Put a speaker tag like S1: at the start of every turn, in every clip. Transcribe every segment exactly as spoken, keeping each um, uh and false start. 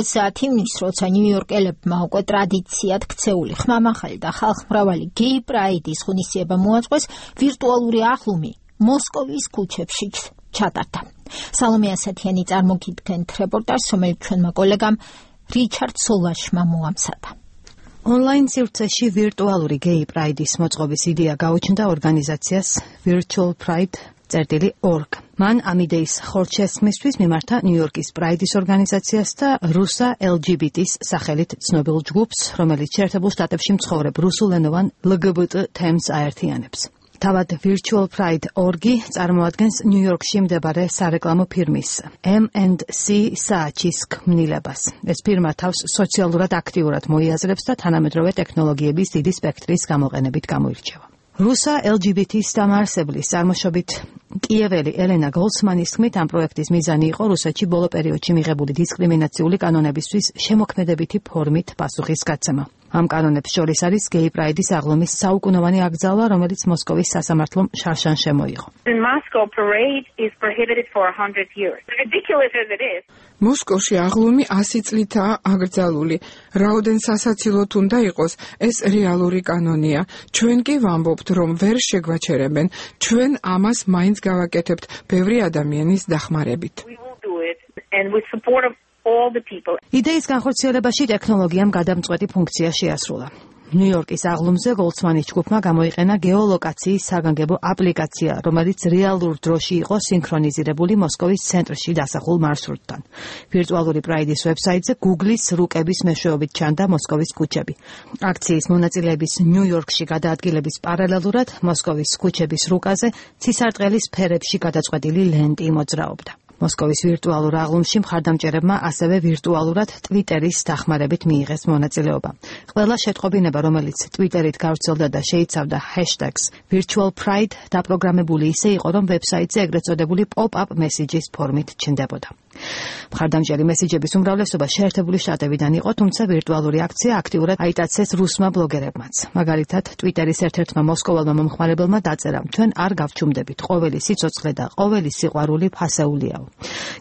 S1: საათივნის, როცა ნიუ-იორკელებმა უკვე ტრადიციად ქცეული ხმამაღალი და ხალხმრავალი გეი პრაიდის ღონისძიება მოაწყვეს, ვირტუალური ახლუმი მოსკოვის ქუჩებში ჩატარდა. სალომე ასათიანი წარმოგიდგენთ რეპორტაჟს, რომელიც ჩვენმა კოლეგამ რიჩარდ სოლაშმა მოამზადა.
S2: Online სივრცეში ვირტუალური გეი პრაიდის მოწყობის იდეა გაუჩნდა ორგანიზაციას Virtual Pride წერტილი org. მან ამ იდეის ხორჩესხმისთვის მიმართა ნიუ-იორკის პრაიდის ორგანიზაციას და რუსა ელ ჯი ბი ტი-ს სახელით ცნობილ ჯგუფს, რომელიც შეერთებულ შტატებში მცხოვრებ რუსულენოვან ელ გი ბი ტი თემს აერთიანებს. თავად Virtual Pride org-ი წარმოადგენს ნიუ-იორკში მდებარე სარეკლამო ფირმის ემ ენდ სი სააჩის ქმნილებას. ეს ფირმა თავს სოციალურად აქტიურად მოიაზრებს და თანამედროვე ტექნოლოგიების დიდი სპექტრის გამოყენებით გამოირჩევა. რუსა ელ ჯი ბი ტი-ს დამაარსებლის წარმოშობით კიეველი ელენა გოლცმანის თქმით, ამ პროექტის მიზანი იყო რუსეთში ბოლო პერიოდში მიღებული დისკრიმინაციული კანონებისთვის შემოქმედებითი ფორმით პასუხისგაცემა. ამ კანონებს შორის არის გეი პრაიდის აღლუმის საუკუნოვანი აკრძალვა, რომელიც მოსკოვის სასამართლომ შარშან შემოიღო.
S3: მოსკოვში აღლუმი ასი წლითაა აკრძალული. რაოდენ სასაცილოდ უნდა იყოს, ეს რეალური კანონია. ჩვენ კი ვამბობთ, რომ ვერ შეგვაჩერებენ. ჩვენ ამას მაინც გავაკეთებთ ბევრი ადამიანის დახმარებით.
S2: იდეის განხორციელებაში ტექნოლოგიამ გადამწყვეტი ფუნქცია შეასრულა. ნიუ-იორკის აღლუმზე გოლცმანის ჯგუფმა გამოიყენა გეოლოკაციის საგანგებო აპლიკაცია, რომელიც რეალურ დროში იყო სინქრონიზირებული მოსკოვის ცენტრში დასახულ მარშრუტთან. ვირტუალური პრაიდის ვებსაიტზე Google-ის რუკების მეშვეობით ჩანდა მოსკოვის ქუჩები. აქციის მონაწილეების ნიუ-იორკში გადაადგილების პარალელურად მოსკოვის ქუჩების რუკაზე ცისარტყელის ფერებში გადაწყვეტილი ლენტი მოძრაობდა. მოსკოვის ვირტუალურ აღლუმში მხარდამჭერებმა ასევე ვირტუალურად ტვიტერის დახმარებით მიიღეს მონაწილეობა. ყველა შეტყობინება, რომელიც ტვიტერით გავრცელდა და შეიცავდა ჰეშტეგს Virtual Pride, დაპროგრამებული ისე იყო, რომ ვებსაიტზე ეგრეთ წოდებული pop-up messages ფორმით ჩნდებოდა. მხარდამჭერი მესიჯების უმრავლესობა შეერთებული შტატებიდან იყო, თუმცა ვირტუალური აქცია აქტიურად აიტაცეს რუსმა ბლოგერებმაც. მაგალითად, ტვიტერის ერთ-ერთმა მოსკოვალმა მომხმარებელმა დაწერა: "ჩვენ არ გავჩუმდებით, ყოველი სიცოცხლე და ყოველი სიყვარული ფასეულიაო."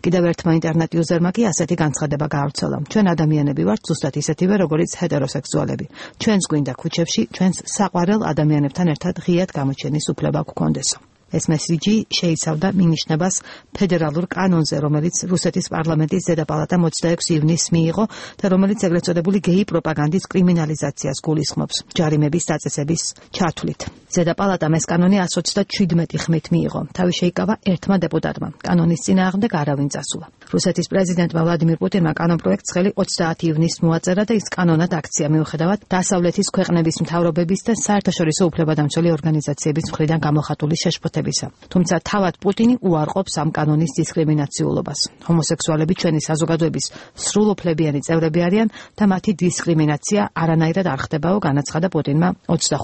S2: კიდევ ერთმა ინტერნეტ იუზერმა კი ასეთი განცხადება გაავრცელა: "ჩვენ ადამიანები ვართ ზუსტად ისეთივე, როგორიც ჰეტეროსექსუალები. ჩვენს გვინდა ქუჩებში, ჩვენს საყვარელ ადამიანებთან ერთად ღიად გამოჩენის უფლება გქონდესო." ეს მესიჯი შეიცავდა მინიშნებას ფედერალურ კანონზე, რომელიც რუსეთის პარლამენტის ზედაპალატამ ოცდაექვსი ივნისს მიიღო და რომელიც ეგრეთ წოდებული გეი პროპაგანდის კრიმინალიზაციას გულისხმობს ჯარიმების დაწესების ჩათვლით. ზედაპალატამ ეს კანონი εκατს ოცდაჩვიდმეტი ხმით მიიღო. თავი შეიკავა ერთმა დეპუტატმა. კანონის წინააღმდეგ არავინ წასულა. რუსეთის პრეზიდენტმა ვლადიმირ პუტინმა კანონ პროექტს ხელი ოცდაათი ივნისს მოაწერა და ის კანონად აქცია, მიუხედავად დასავლეთის ქვეყნების მთავრობების და საერთაშორისო უფლებადამცველი ორგანიზაციების მხრიდან გამოხატული შეშფოთებისა. თუმცა თავად პუტინი უარყოფს ამ კანონის დისკრიმინაციულობას. ჰომოსექსუალები ჩვენი საზოგადოების სრულუფლებიანი წევრები არიან და მათი დისკრიმინაცია არანაირად არ ხდებაო, განაცხადა პუტინმა ოცდახუთი